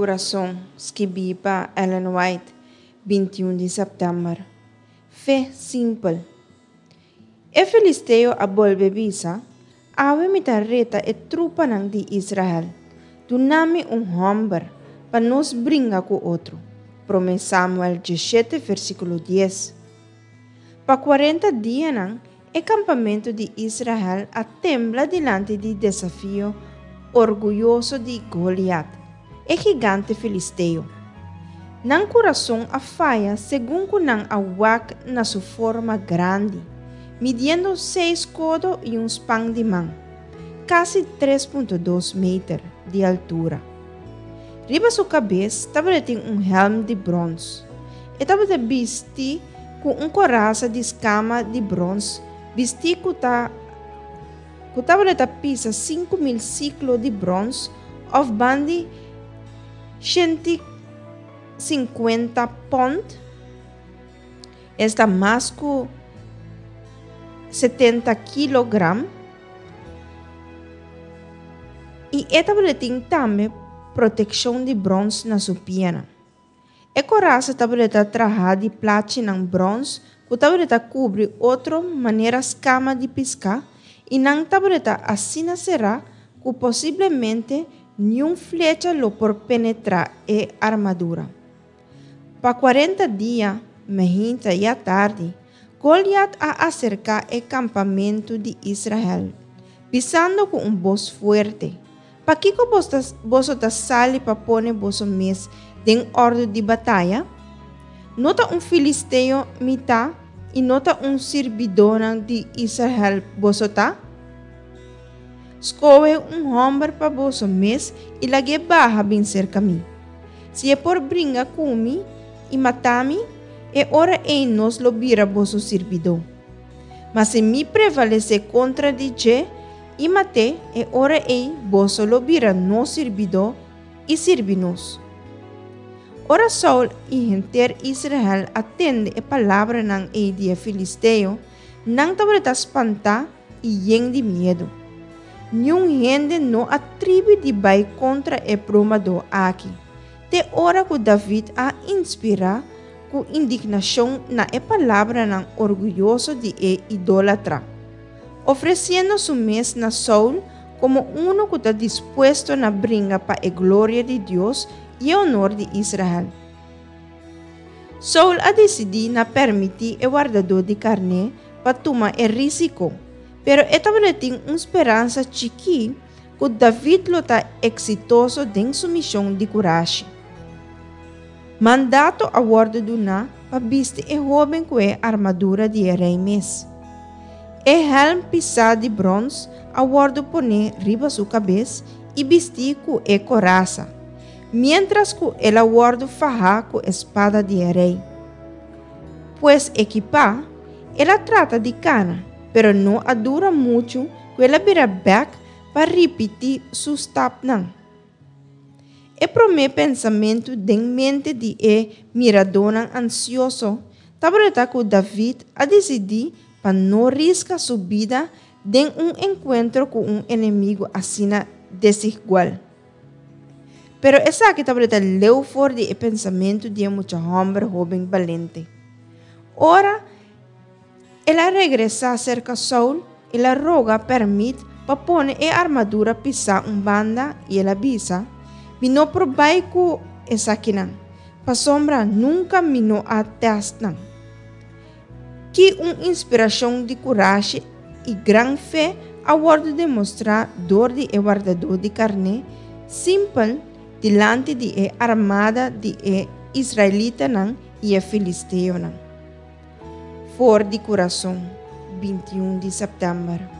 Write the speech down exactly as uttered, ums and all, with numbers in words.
Kurason, skibí pa Ellen White, binti un di sèptèmber. Fe simpel. E filisteo a bolbe bisa, Awe mi ta reta e trupanan di Israel. Duna mi un hòmber pa nos bringa ku otro. Promé Samuel diesshete versíkulo dies. Pa kuarenta dianan e kampamentu di Israel a tembla dilanti di desafio orguyoso di Goliat, e gigante filisteo. Nan kurason a faya segun ku nan a wak na su forma grandi, midiendo seis kodo i un span di man, kasi tres punto dos meter di altura. Riba su kabes tabatin un hèlm di bròns. E tabata bisti ku un korasa di skama di bròns, bistí ku ta ku tabata pisa sinku mil siklo di bròns òf bandi shenti sinkuenta pònt, esta mas ku setenta kilogram, i e tabatin tambe protekshon di bròns na su pianan. E korasa tabata trahá di plachinan bròns ku tabata kubri otro manera skama di piská, i nan tabata asina será ku posiblemente niun flecha lo por penetrá e armadura. Pa kuarenta dia, mainta i atardi, Goliat a aserká e kampamentu di Israel, bisando ku un bos fuerte, Pakiko boso ta sali pa pone boso mes den òrdu di bataya? No ta un filisteo mi ta i no ta un sirbidónan di Israel boso ta? Skohe un hòmber pa boso mes i lag'é baha bin serka mi. Si e por bringa ku mi i mata mi, e ora ei nos lo bira boso sirbidó. Ma si mi prevalesé kontra di dje i mat'é, e ora ei boso lo bira nos sirbidó i sirbi nos. Ora Saul i henter Israel a tende e palabranan ei di e filisteo, nan tabata spantá i yen di miedu. Niun hende no a tribi di bai kontra e bromadó aki, te ora ku David a inspirá ku indignashon na e palabranan orguyoso di e idólatra, ofresiendo su mes na Saul komo unu ku ta dispuesto na bringa pa e gloria di Dios i e honor di Israel. Saul a disidí na permití e wardadó di karné pa tuma e rísiko, pero e tabatin un speransa chikí ku David lo ta eksitoso den su mishon di kurashi. Mandato a wòrdu duná pa bisti e hóben ku e armadura di e rei mes. E hèlm pisá di bròns a wòrdu poné riba su kabes i bistí ku e korasa, miéntras ku el a wòrdu fahá ku e spada di e rei. Pues ekipá, el a trata di kana, pero no a dura muchu ku el a bira bèk pa ripití su stapnan. E promé pensamentu den mente di e miradónan ansioso tabata ku David a disidí pa no riska su bida den un enkuentro ku un enemigu asina desigual. Pero esaki tabata leu for di e pensamentu di e mucha hòmber hóben balente. Ora el a regresá serka Saul, el a roga pèrmit pa pone e armadura pisá un banda i el a bisa, Mi no por bai ku esakinan, pasobra nunka mi no a tèst nan. Ki un inspirashon di kurashi i gran fe a wòrdu demostrá dor di e wardadó di karné simpel dilanti di e armada di e israelitanan i e filisteonan. For di Kurason, binti un di sèptèmber.